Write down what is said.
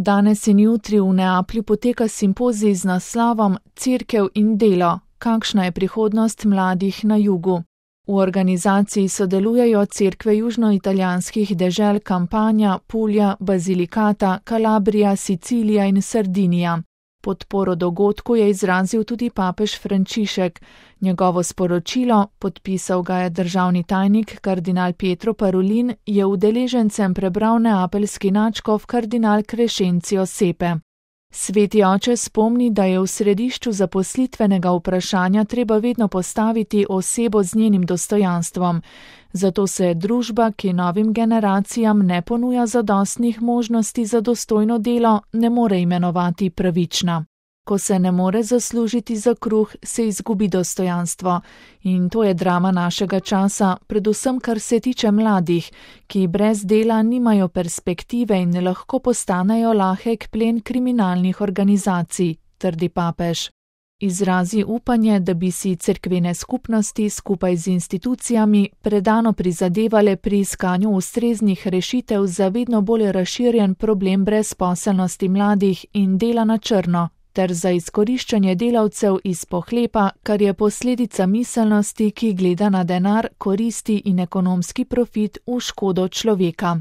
Danes in jutri v Neaplju poteka simpozij z naslovom Cerkev in delo, kakšna je prihodnost mladih na jugu. V organizaciji sodelujejo cerkve južnoitalijanskih dežel Campania, Puglia, Basilicata, Calabrija, Sicilija in Sardinija. Podporo dogodku je izrazil tudi papež Frančišek. Njegovo sporočilo, podpisal ga je državni tajnik kardinal Pietro Parolin, je udeležencem prebral neapeljski nadškof kardinal Crescencio Sepe. Sveti oče spomni, da je v središču zaposlitvenega vprašanja treba vedno postaviti osebo z njenim dostojanstvom. Zato se družba, ki novim generacijam ne ponuja zadostnih možnosti za dostojno delo, ne more imenovati pravična. Ko se ne more zaslužiti za kruh, se izgubi dostojanstvo. In to je drama našega časa, predvsem kar se tiče mladih, ki brez dela nimajo perspektive in lahko postanejo lahek plen kriminalnih organizacij, trdi papež. Izrazi upanje, da bi si cerkvene skupnosti skupaj z institucijami predano prizadevale pri iskanju ustreznih rešitev za vedno bolj razširjen problem brezposelnosti mladih in dela na črno, ter za izkoriščanje delavcev iz pohlepa, kar je posledica miselnosti, ki gleda na denar, koristi in ekonomski profit v škodo človeka.